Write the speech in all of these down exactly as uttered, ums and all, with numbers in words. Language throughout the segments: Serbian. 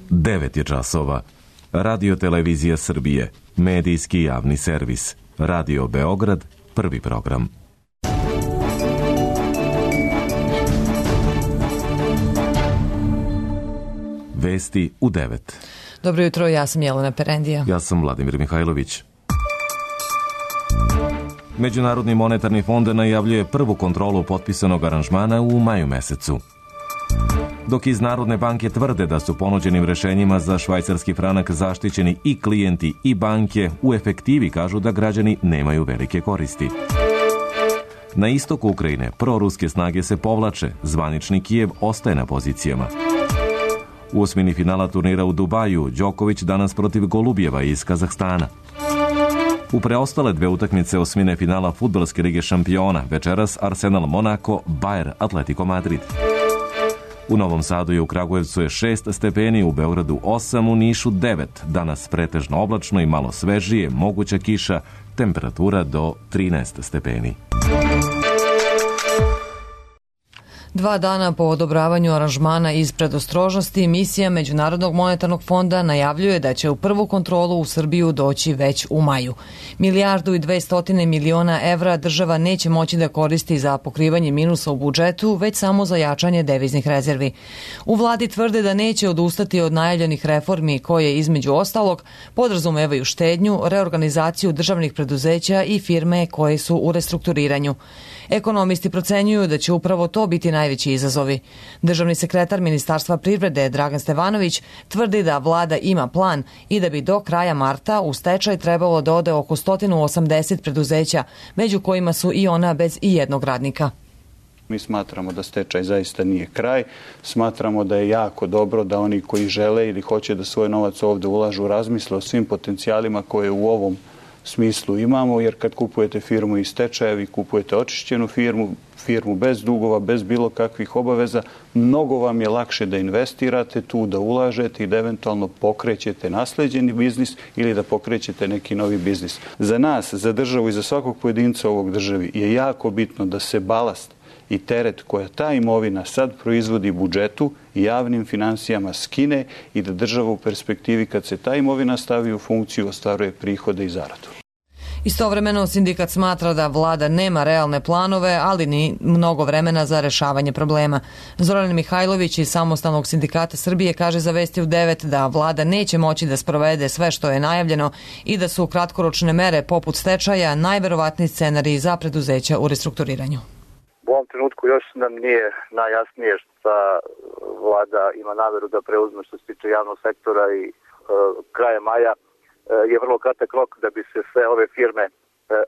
devet je časova. Radio Televizija Srbije, medijski javni servis. Radio Beograd, prvi program. Vesti u devet. Dobro jutro, ja sam Jelena Perendija. Ja sam Vladimir Mihajlović. Međunarodni monetarni fond najavljuje prvu kontrolu potpisanog aranžmana u maju mesecu. Dok iz Narodne banke tvrde da su ponuđenim rešenjima za švajcarski franak zaštićeni i klijenti i banke, u efektivi kažu da građani nemaju velike koristi. Na istoku Ukrajine proruske snage se povlače, zvanični Kijev ostaje na pozicijama. U osmini finala turnira u Dubaju, Đoković danas protiv Golubjeva iz Kazahstana. U preostale dve utakmice osmine finala Fudbalske lige šampiona, večeras Arsenal Monako, Bayer Atletico Madrid. U Novom Sadu i u Kragujevcu je šest stepeni, u Beogradu osam, u Nišu devet. Danas pretežno oblačno i malo svežije, moguća kiša, temperatura do trinaest stepeni. Dva dana po odobravanju aranžmana iz predostrožnosti, misija Međunarodnog monetarnog fonda najavljuje da će u prvu kontrolu u Srbiju doći već u maju. Milijardu i dvestotine miliona evra država neće moći da koristi za pokrivanje minusa u budžetu, već samo za jačanje deviznih rezervi. U vladi tvrde da neće odustati od najavljenih reformi koje, između ostalog, podrazumevaju štednju, reorganizaciju državnih preduzeća i firme koje su u restrukturiranju. Ekonomisti procenjuju da će upravo to biti najveći izazovi. Državni sekretar Ministarstva privrede Dragan Stevanović tvrdi da vlada ima plan i da bi do kraja marta u stečaj trebalo da ode oko sto osamdeset preduzeća, među kojima su i ona bez i jednog radnika. Mi smatramo da stečaj zaista nije kraj. Smatramo da je jako dobro da oni koji žele ili hoće da svoj novac ovde ulažu razmisle o svim potencijalima koje u ovom smislu imamo, jer kad kupujete firmu iz stečaja, vi kupujete očišćenu firmu, firmu bez dugova, bez bilo kakvih obaveza, mnogo vam je lakše da investirate tu, da ulažete i da eventualno pokrećete nasleđeni biznis ili da pokrećete neki novi biznis. Za nas, za državu i za svakog pojedinca ovog državi je jako bitno da se balast i teret koja ta imovina sad proizvodi budžetu i javnim finansijama skine i da država u perspektivi kad se ta imovina stavi u funkciju ostvaruje prihode i zaradu. Istovremeno, sindikat smatra da vlada nema realne planove, ali ni mnogo vremena za rešavanje problema. Zoran Mihajlović iz Samostalnog sindikata Srbije kaže za Vesti u devet da vlada neće moći da sprovede sve što je najavljeno i da su kratkoročne mere poput stečaja najverovatniji scenarij za preduzeća u restrukturiranju. U ovom trenutku još nam nije najjasnije šta vlada ima nameru da preuzme što se tiče javnog sektora i e, kraja maja e, je vrlo kratak rok da bi se sve ove firme e,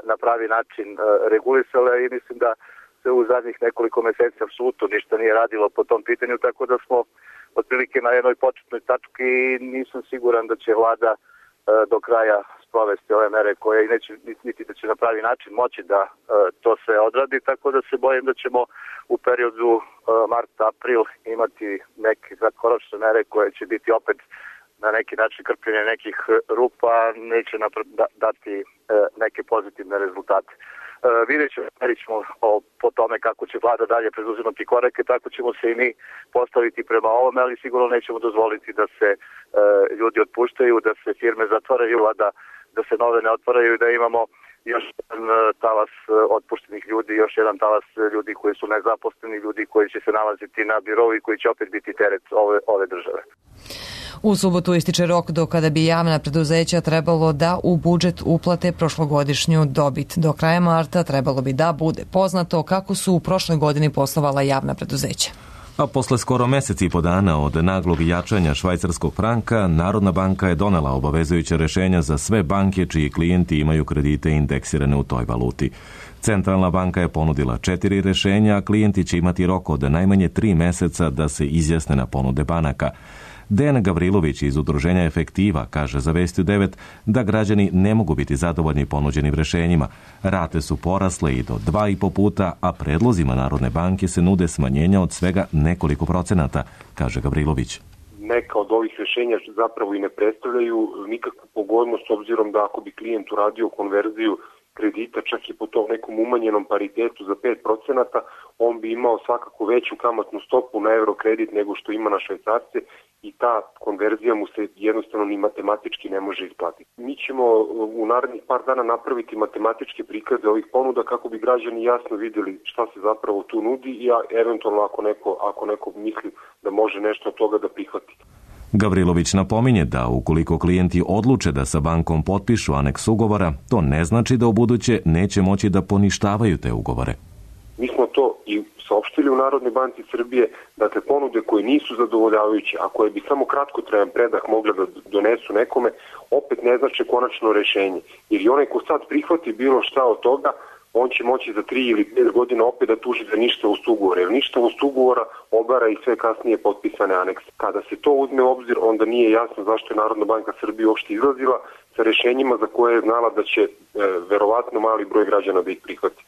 na pravi način e, regulisale i mislim da se u zadnjih nekoliko meseci apsolutno ništa nije radilo po tom pitanju, tako da smo otprilike na jednoj početnoj tački i nisam siguran da će vlada e, do kraja sprovesti ove mere koje i neće niti da će na pravi način moći da e, to sve odradi, tako da se bojim da ćemo u periodu e, mart-april imati neke kratkoročne mere koje će biti opet na neki način krpljenje nekih rupa, neće napra- da, dati e, neke pozitivne rezultate. E, vidjet ćemo, vidjet ćemo o, po tome kako će vlada dalje preduzimati korake, tako ćemo se i mi postaviti prema ovome, ali sigurno nećemo dozvoliti da se e, ljudi otpuštaju, da se firme zatvaraju, a da da se nove ne otvaraju i da imamo još jedan talas otpuštenih ljudi, još jedan talas ljudi koji su nezaposleni, ljudi koji će se nalaziti na birou i koji će opet biti teret ove, ove države. U subotu ističe rok do kada bi javna preduzeća trebalo da u budžet uplate prošlogodišnju dobit. Do kraja marta trebalo bi da bude poznato kako su u prošloj godini poslovala javna preduzeća. A posle skoro meseci i po dana od naglog jačanja švajcarskog franka, Narodna banka je donela obavezujuće rešenja za sve banke čiji klijenti imaju kredite indeksirane u toj valuti. Centralna banka je ponudila četiri rešenja, a klijenti će imati rok od najmanje tri meseca da se izjasne na ponude banaka. Dejan Gavrilović iz udruženja Efektiva kaže za Vesti u devet da građani ne mogu biti zadovoljni ponuđenim rešenjima. Rate su porasle i do dva i po puta, a predlozima Narodne banke se nude smanjenja od svega nekoliko procenata, kaže Gavrilović. Neka od ovih rešenja zapravo i ne predstavljaju nikakvu pogodnost, obzirom da ako bi klijent uradio konverziju kredita, čak i po tom nekom umanjenom paritetu za pet procenata, on bi imao svakako veću kamatnu stopu na eurokredit nego što ima na švajcarce i ta konverzija mu se jednostavno ni matematički ne može isplatiti. Mi ćemo u narednih par dana napraviti matematičke prikaze ovih ponuda kako bi građani jasno vidjeli šta se zapravo tu nudi i eventualno ako neko, ako neko misli da može nešto od toga da prihvati. Gavrilović napominje da ukoliko klijenti odluče da sa bankom potpišu aneks ugovora, to ne znači da u buduće neće moći da poništavaju te ugovore. Mi smo to i saopštili u Narodnoj banci Srbije, dakle ponude koje nisu zadovoljavajuće, a koje bi samo kratkotrajan predah mogle da donesu nekome, opet ne znači konačno rešenje. Jer i onaj ko sad prihvati bilo šta od toga, on će moći za tri ili pet godina opet da tuži za ništavost ugovora. Jer ništavost ugovora obara i sve kasnije potpisane anekse. Kada se to uzme u obzir, onda nije jasno zašto je Narodna banka Srbije uopšte izlazila sa rešenjima za koje je znala da će e, verovatno mali broj građana da ih prihvati.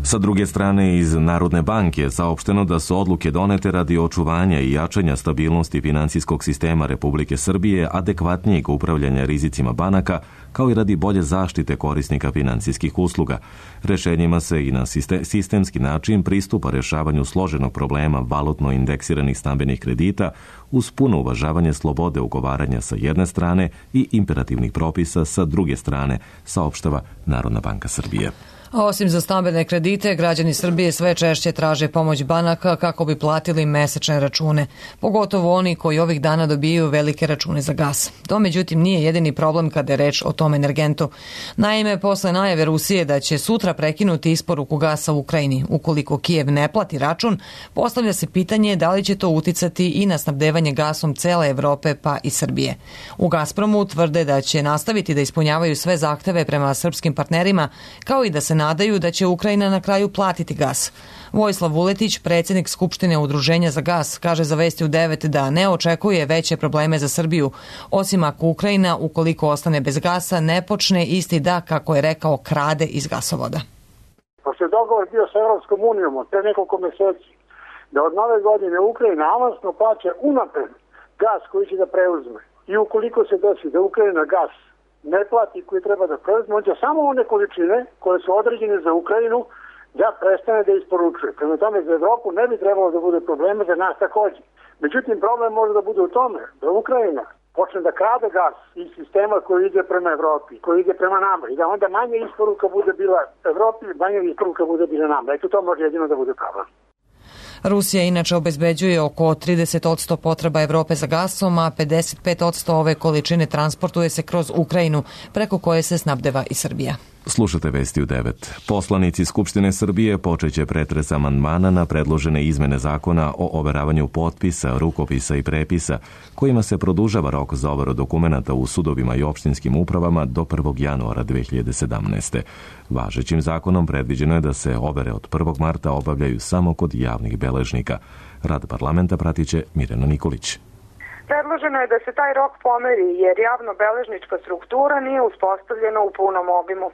Sa druge strane, iz Narodne banke je saopšteno da su odluke donete radi očuvanja i jačanja stabilnosti finansijskog sistema Republike Srbije, adekvatnijeg upravljanja rizicima banaka, kao i radi bolje zaštite korisnika finansijskih usluga. Rešenjima se i na sistemski način pristupa rešavanju složenog problema valutno indeksiranih stambenih kredita uz puno uvažavanje slobode ugovaranja sa jedne strane i imperativnih propisa sa druge strane, saopštava Narodna banka Srbije. A osim za stambene kredite, građani Srbije sve češće traže pomoć banaka kako bi platili mesečne račune, pogotovo oni koji ovih dana dobijaju velike račune za gas. To međutim nije jedini problem kada je reč o tom energentu. Naime, posle najave Rusije da će sutra prekinuti isporuku gasa u Ukrajini, ukoliko Kijev ne plati račun, postavlja se pitanje da li će to uticati i na snabdevanje gasom cele Evrope pa i Srbije. U Gazpromu tvrde da će nastaviti da ispunjavaju sve zahteve prema srpskim partnerima, kao i da se nadaju da će Ukrajina na kraju platiti gas. Vojislav Vuletić, predsjednik Skupštine Udruženja za gas, kaže za Vesti u devet da ne očekuje veće probleme za Srbiju, osim ako Ukrajina, ukoliko ostane bez gasa, ne počne isti da, kako je rekao, krade iz gasovoda. Pošto je dogovor bio sa Evropskom unijom od pre nekoliko meseci, da od nove godine Ukrajina avansno plaća unapred gas koji će da preuzme. I ukoliko se desi da Ukrajina gas ne plati koji treba da preuzme, on će samo one količine koje su određene za Ukrajinu da prestane da isporučuje. Prema tome za Evropu ne bi trebalo da bude problema, za nas takođe. Međutim, problem može da bude u tome da Ukrajina počne da krade gas iz sistema koji ide prema Evropi, koji ide prema nama i da onda manje isporuka bude bila Evropi, manje isporuka bude bila nama. Eto, to može jedino da bude problem. Rusija inače obezbeđuje oko trideset posto potreba Evrope za gasom, a pedeset pet posto ove količine transportuje se kroz Ukrajinu, preko koje se snabdeva i Srbija. Slušate Vesti u devet. Poslanici Skupštine Srbije počeće pretres amandmana na predložene izmene zakona o overavanju potpisa, rukopisa i prepisa, kojima se produžava rok za overu dokumenata u sudovima i opštinskim upravama do prvog januara dve hiljade sedamnaeste. Važećim zakonom predviđeno je da se overe od prvog marta obavljaju samo kod javnih beležnika. Rad parlamenta pratiće Mirjana Nikolić. Predloženo je da se taj rok pomeri jer javno-beležnička struktura nije uspostavljena u punom obimu.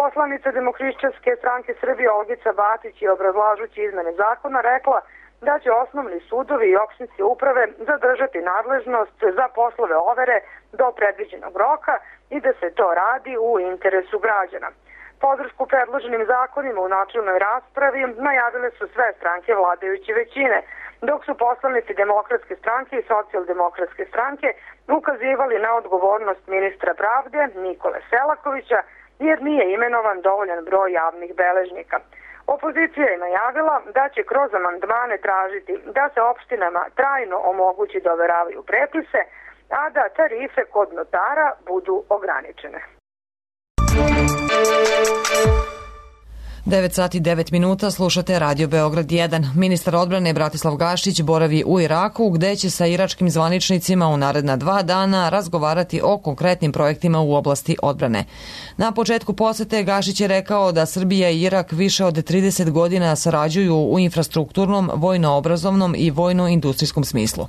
Poslanica Demohrišćanske stranke Srbije Olgica Batić je obrazlažući izmene zakona rekla da će osnovni sudovi i opštinske uprave zadržati nadležnost za poslove overe do predviđenog roka i da se to radi u interesu građana. Podršku predloženim zakonima u načelnoj raspravi najavile su sve stranke vladajuće većine, dok su poslanici Demokratske stranke i Socijaldemokratske stranke ukazivali na odgovornost ministra pravde Nikole Selakovića jer nije imenovan dovoljan broj javnih beležnika. Opozicija je najavila da će kroz amandmane tražiti da se opštinama trajno omogući da overavaju prepise, a da tarife kod notara budu ograničene. devet sati i devet minuta, slušate Radio Beograd jedan. Ministar odbrane Bratislav Gašić boravi u Iraku, gde će sa iračkim zvaničnicima u naredna dva dana razgovarati o konkretnim projektima u oblasti odbrane. Na početku posete Gašić je rekao da Srbija i Irak više od trideset godina sarađuju u infrastrukturnom, vojno-obrazovnom i vojno-industrijskom smislu.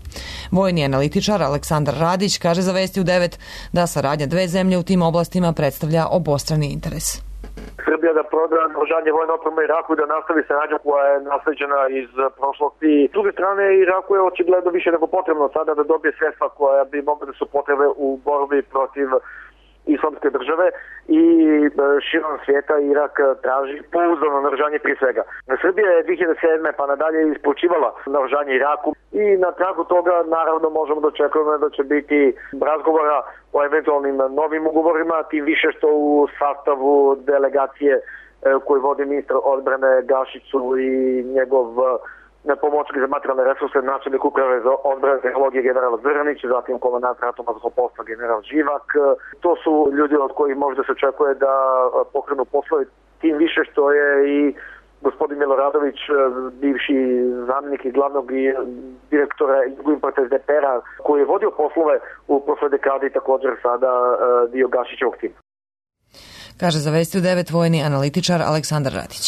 Vojni analitičar Aleksandar Radić kaže za Vesti u devet da saradnja dve zemlje u tim oblastima predstavlja obostrani interes. Srbija da proda naoružanje vojne opreme Iraku i da nastavi saradnju koja je nasleđena iz prošlosti. S druge strane, Iraku je očigledno više nego potrebno sada da dobije sredstva koja bi mogla da su potrebe u borbi protiv islamske države i širom svijeta Irak traži pouzdano naoružanje prije svega. Srbija je dvije hiljade sedme pa nadalje isplaćivala naoružanje Iraku i na tragu toga naravno možemo da očekujemo da će biti razgovora o eventualnim novim ugovorima, tim više što u sastavu delegacije koji vodi ministar odbrane Gašiću i njegov pomoćnik za materijalne resurse, načelnik uprave za odbrane tehnologije general Zrnić, zatim komandant ratnog vazduhoplovstva general Živak. To su ljudi od kojih možda se očekuje da pokrenu poslove, tim više što je i gospodin Miloradović, bivši zamjenik i glavnog direktora Jugoimporta es de pe er-a, koji je vodio poslove u prošloj dekadi i također sada dio Gašićevog tima. Kaže za Vesti u devet vojni analitičar Aleksandar Radić.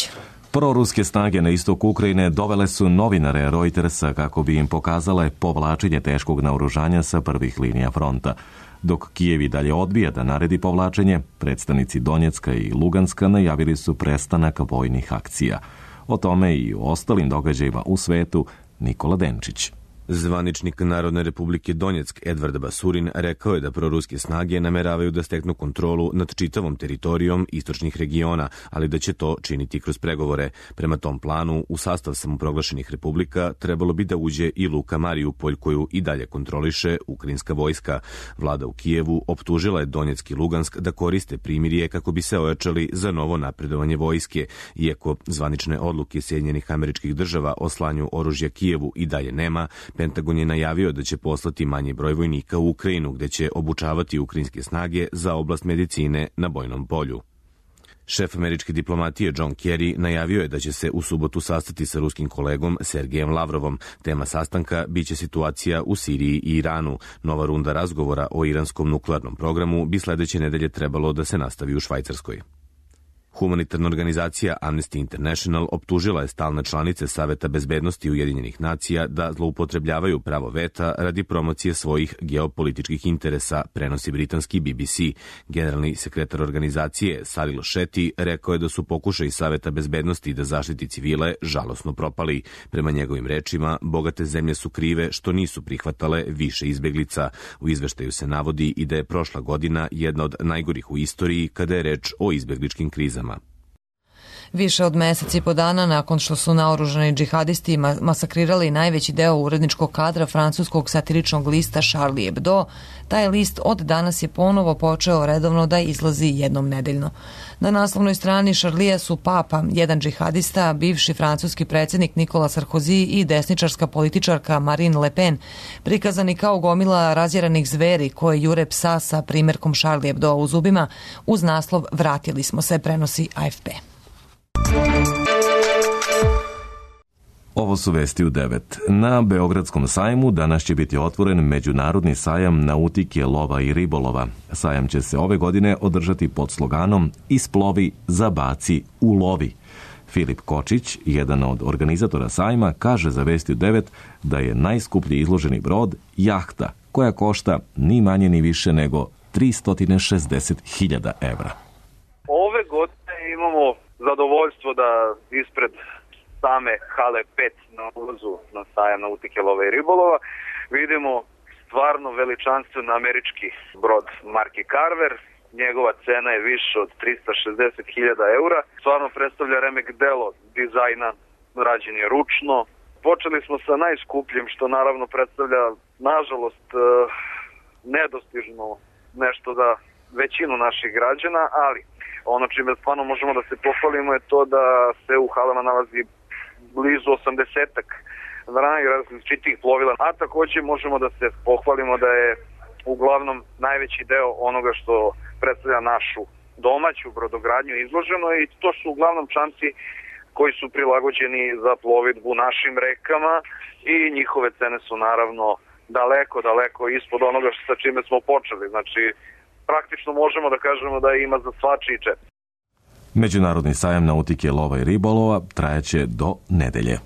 Proruske snage na istoku Ukrajine dovele su novinare Reutersa kako bi im pokazale povlačenje teškog naoružanja sa prvih linija fronta. Dok Kijev i dalje odbija da naredi povlačenje, predstavnici Donjecka i Luganska najavili su prestanak vojnih akcija. O tome i o ostalim događajima u svetu Nikola Denčić. Zvaničnik Narodne republike Donjeck Edvard Basurin rekao je da proruske snage nameravaju da steknu kontrolu nad čitavom teritorijom istočnih regiona, ali da će to činiti kroz pregovore. Prema tom planu, u sastav samoproglašenih republika trebalo bi da uđe i Luka Mariupolj, koju i dalje kontroliše ukrajinska vojska. Vlada u Kijevu optužila je Donjeck i Lugansk da koriste primirje kako bi se ojačali za novo napredovanje vojske. Iako zvanične odluke Sjedinjenih Američkih Država o slanju oružja Kijevu i dalje nema, Pentagon je najavio da će poslati manji broj vojnika u Ukrajinu, gde će obučavati ukrajinske snage za oblast medicine na bojnom polju. Šef američke diplomatije John Kerry najavio je da će se u subotu sastati sa ruskim kolegom Sergejem Lavrovom. Tema sastanka biće situacija u Siriji i Iranu. Nova runda razgovora o iranskom nuklearnom programu bi sledeće nedelje trebalo da se nastavi u Švajcarskoj. Humanitarna organizacija Amnesty International optužila je stalne članice Saveta bezbednosti Ujedinjenih nacija da zloupotrebljavaju pravo veta radi promocije svojih geopolitičkih interesa, prenosi britanski B B C. Generalni sekretar organizacije Salil Shetty rekao je da su pokušaji Saveta bezbednosti da zaštiti civile žalosno propali. Prema njegovim rečima, bogate zemlje su krive što nisu prihvatale više izbeglica. U izveštaju se navodi i da je prošla godina jedna od najgorih u istoriji kada je reč o izbegličkim krizama. Više od mesec i po dana nakon što su naoružani džihadisti masakrirali najveći deo uredničkog kadra francuskog satiričnog lista Charlie Hebdo, taj list od danas je ponovo počeo redovno da izlazi jednom nedeljno. Na naslovnoj strani Charlija su Papa, jedan džihadista, bivši francuski predsjednik Nikola Sarkozy i desničarska političarka Marine Le Pen, prikazani kao gomila razjeranih zveri koje jure psa sa primjerkom Charlie Hebdo u zubima, uz naslov "Vratili smo se", prenosi A F P. Ovo su vesti u devet. Na Beogradskom sajmu danas će biti otvoren Međunarodni sajam nautike, lova i ribolova. Sajam će se ove godine održati pod sloganom "Isplovi, zabaci, ulovi". Filip Kočić, jedan od organizatora sajma, kaže za Vesti u devet da je najskuplji izloženi brod jahta, koja košta ni manje ni više nego tristo šezdeset hiljada evra. Ove godine imamo zadovoljstvo da ispred same hale pet na ulazu na sajam nautike, lova i ribolova vidimo stvarno veličanstven američki brod marke Carver. Njegova cena je više od tristo šezdeset hiljada eura. Stvarno predstavlja remek delo dizajna, rađen je ručno. Počeli smo sa najskupljim, što naravno predstavlja, nažalost, nedostižno nešto za većinu naših građana, ali ono čime stvarno možemo da se pohvalimo je to da se u halama nalazi blizu osamdesetak različitih plovila, a takođe možemo da se pohvalimo da je uglavnom najveći deo onoga što predstavlja našu domaću brodogradnju izloženo i to su uglavnom čamci koji su prilagođeni za plovidbu našim rekama i njihove cene su naravno daleko, daleko ispod onoga sa čime smo počeli. Znači, praktično možemo da kažemo da ima za svačiji džep. Međunarodni sajam nautike, lova i ribolova trajaće do nedelje.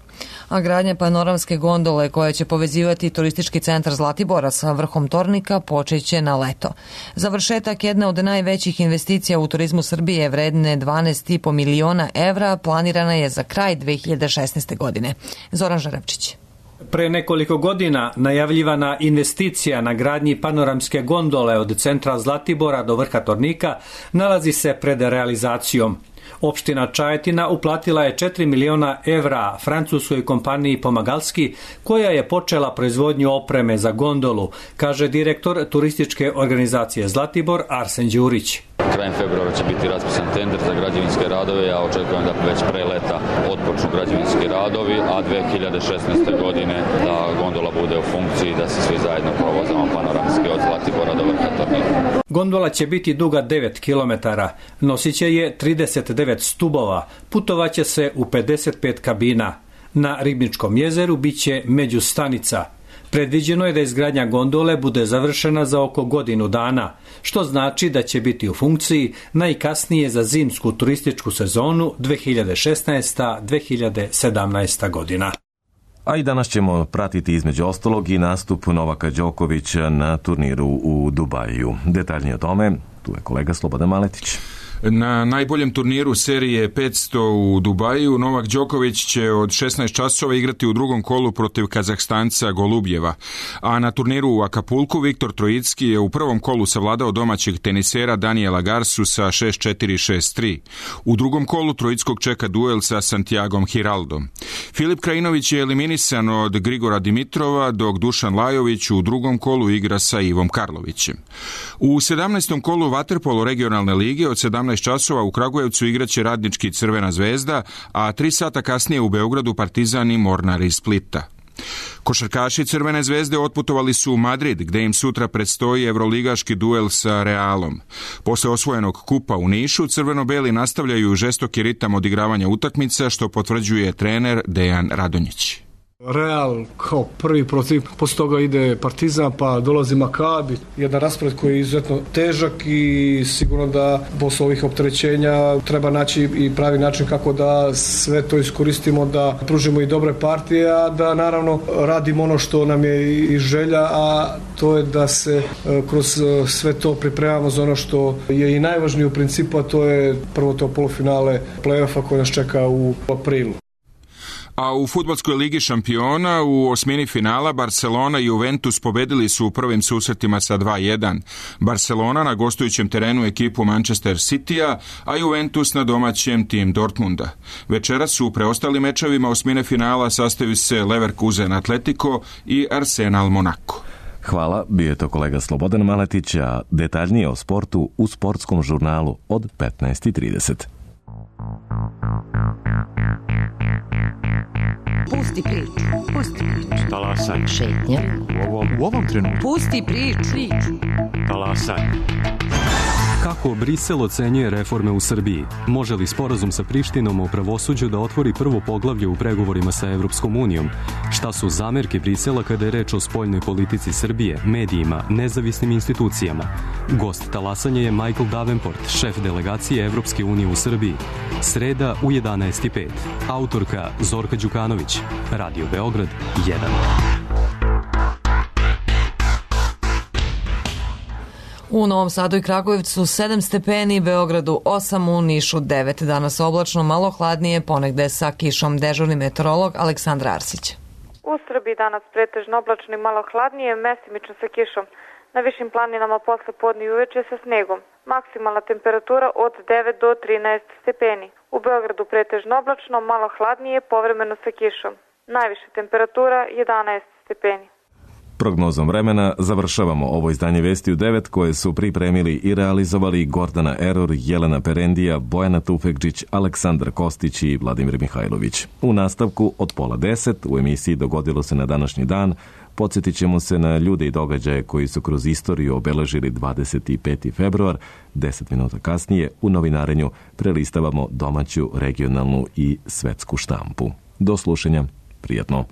A gradnja panoramske gondole koja će povezivati turistički centar Zlatibora sa vrhom Tornika počeće na leto. Završetak jedne od najvećih investicija u turizmu Srbije vredne dvanaest i po miliona evra planirana je za kraj dve hiljade šesnaeste. godine. Zoran Žarevčić. Pre nekoliko godina najavljivana investicija na gradnji panoramske gondole od centra Zlatibora do vrha Tornika nalazi se pred realizacijom. Opština Čajetina uplatila je četiri miliona evra francuskoj kompaniji Pomagalski, koja je počela proizvodnju opreme za gondolu, kaže direktor turističke organizacije Zlatibor Arsen Đurić. Krajem februara će biti raspisan tender za građevinske radove, ja očekujem da već pre leta otpočnu građevinski radovi, a dve hiljade šesnaeste. godine da gondola bude u funkciji, da se svi zajedno provozamo panoramski od Zlatibora do vrha Tornika. Gondola će biti duga devet kilometara, nosiće je trideset devet stubova, putovaće se u pedeset pet kabina. Na Ribničkom jezeru biće međustanica. Predviđeno je da izgradnja gondole bude završena za oko godinu dana, što znači da će biti u funkciji najkasnije za zimsku turističku sezonu dve hiljade šesnaesta. do dve hiljade sedamnaeste. godina. A i danas ćemo pratiti između ostalog i nastup Novaka Đokovića na turniru u Dubaju. Detaljnije o tome, tu je kolega Slobodan Maletić. Na najboljem turniru serije petsto u Dubaju Novak Đoković će od šesnaest časova igrati u drugom kolu protiv Kazahstanca Golubjeva, a na turniru u Akapulku Viktor Trojicki je u prvom kolu savladao domaćeg tenisera Daniela Garsu sa šest četiri šest tri. U drugom kolu Trojickog čeka duel sa Santiagom Hiraldom. Filip Krajinović je eliminisan od Grigora Dimitrova, dok Dušan Lajović u drugom kolu igra sa Ivom Karlovićem. U sedamnaestom kolu vaterpolo regionalne lige od sedamnaest časova u Kragujevcu igraće Radnički Crvena zvezda, a tri sata kasnije u Beogradu Partizan i Mornar iz Splita. Košarkaši Crvene zvezde otputovali su u Madrid, gde im sutra predstoji evroligaški duel sa Realom. Posle osvojenog kupa u Nišu, crveno-beli nastavljaju žestoki ritam odigravanja utakmica, što potvrđuje trener Dejan Radonjić. Real kao prvi protiv, posle toga ide Partizan, pa dolazi Makabi, jedan raspored koji je izuzetno težak i sigurno da posle ovih opterećenja treba naći i pravi način kako da sve to iskoristimo, da pružimo i dobre partije, a da naravno radimo ono što nam je i želja, a to je da se kroz sve to pripremamo za ono što je i najvažnije u principu, a to je prvo to polufinale play-offa koji nas čeka u aprilu. A u fudbalskoj ligi šampiona u osmini finala Barcelona i Juventus pobedili su u prvim susretima sa dva jedan. Barcelona na gostujućem terenu ekipu Manchester Citya, a Juventus na domaćem tim Dortmunda. Večeras u preostalim mečevima osmine finala sastaju se Leverkusen Atletico i Arsenal Monaco. Hvala, bio je to kolega Slobodan Maletić, a detaljnije o sportu u sportskom žurnalu od petnaest i trideset. Pusti priču, pusti priču. Talasaj. Šetnja. U ovom, u ovom trenutku. Pusti priču. Talasaj. Kako Brisel ocenjuje reforme u Srbiji? Može li sporazum sa Prištinom o pravosuđu da otvori prvo poglavlje u pregovorima sa Evropskom unijom? Šta su zamerke Brisela kada je reč o spoljnoj politici Srbije, medijima, nezavisnim institucijama? Gost talasanja je Michael Davenport, šef delegacije Evropske unije u Srbiji. Sreda u jedanaest i pet. Autorka Zorka Đukanović. Radio Beograd jedan. U Novom Sadu i Kragujevcu sedam stepeni, Beogradu osam, u Nišu devet. Danas oblačno, malo hladnije, ponegde sa kišom. Dežurni meteorolog Aleksandra Arsić. U Srbiji danas pretežno oblačno i malo hladnije, mestimično sa kišom. Na višim planinama posle podne i uveče sa snegom. Maksimalna temperatura od devet do trinaest stepeni. U Beogradu pretežno oblačno, malo hladnije, povremeno sa kišom. Najviša temperatura jedanaest stepeni. Prognozom vremena završavamo ovo izdanje Vesti u devet koje su pripremili i realizovali Gordana Eror, Jelena Perendija, Bojana Tufekđić, Aleksandar Kostić i Vladimir Mihajlović. U nastavku od pola deset u emisiji Dogodilo se na današnji dan podsjetit ćemo se na ljude i događaje koji su kroz istoriju obeležili dvadeset peti februar. Deset minuta kasnije u novinarenju prelistavamo domaću, regionalnu i svetsku štampu. Do slušanja, prijatno.